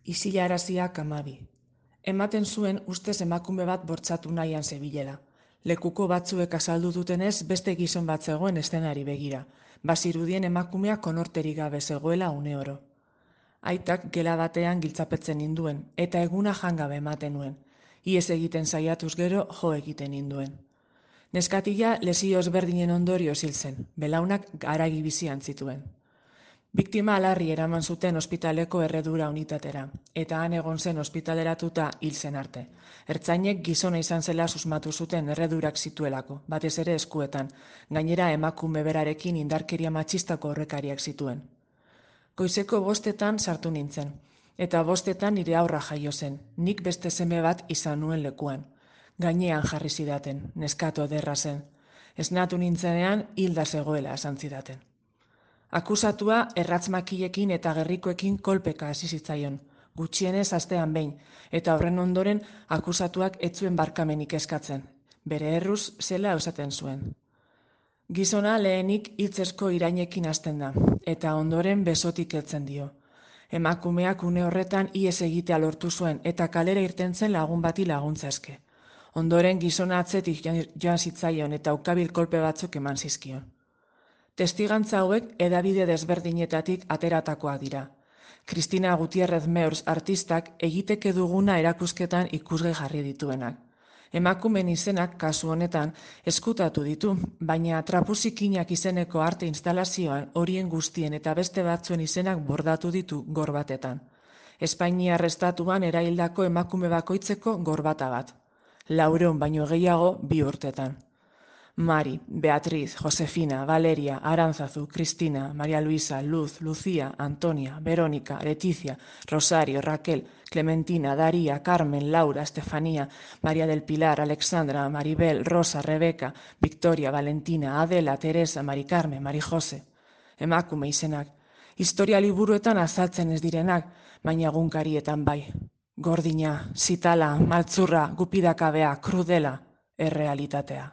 Isilaraziak 12. Ematen zuen ustez emakume bat bortxatu nahian zebilela. Lekuko batzuek azaldu dutenez beste gizon bat zegoen eszenari begira. Bazirudien emakumea konorterik gabe zegoela uneoro. Aitak gela batean giltzapetzen ninduen, eta eguna jangabe ematen nuen. Iez egiten saiatuz gero jo egiten ninduen. Neskatila lesio ezberdinen ondorioz hil zen, belaunak haragi bizian zituen. Biktima larri eraman zuten ospitaleko erredura unitatera, eta han egon zen ospitaleratuta hil zen arte. Ertzainek gizona izan zela susmatu zuten erredurak zituelako, batez ere eskuetan, gainera emakume berarekin indarkeria matxistako horrekariak zituen. Goizeko 5 sartu nintzen, eta 5 nire aurra jaio zen, nik beste seme bat izan nuen lekuan. Gainean jarri zidaten, neskato ederra zen. Esnatu nintzenean hilda zegoela esan zidaten. Akusatua erratzmakilekin eta gerrikoekin kolpeka hasi zitzaion, gutxienez astean behin, eta horren ondoren akusatuak ez zuen barkamenik eskatzen, bere erruz zela esaten zuen. Gizona lehenik hitzezko irainekin hasten da, eta ondoren besotik heltzen dio. Emakumeak une horretan ihes egitea lortu zuen eta kalera irten zen lagun bati laguntza eske. Ondoren gizona atzetik joan zitzaion eta ukabil kolpe batzuk eman zizkion. Testigantza hauek hedabide desberdinetatik ateratakoak dira. Cristina Gutiérrez Meurs artistak egiteke duguna erakusketan ikusgai jarri dituenak. Emakumen izenak kasu honetan eskutatu ditu, baina trapuzikinak izeneko arte instalazioan horien guztien eta beste batzuen izenak bordatu ditu gorbatetan. Espainiar estatuan eraildako emakume bakoitzeko gorbata bat. 400 baino gehiago 2 urtetan. Mari, Beatriz, Josefina, Valeria, Arantzazu, Cristina, María Luisa, Luz, Lucía, Antonia, Verónica, Leticia, Rosario, Raquel, Clementina, Daría, Carmen, Laura, Estefanía, María del Pilar, Alexandra, Maribel, Rosa, Rebeca, Victoria, Valentina, Adela, Teresa, Mari Carmen, Mari Jose. Emakume izenak. Historia liburuetan azaltzen ez direnak, baina egunkarietan bai. Gordina, zitala, maltzurra, gupidakabea, krudela, errealitatea.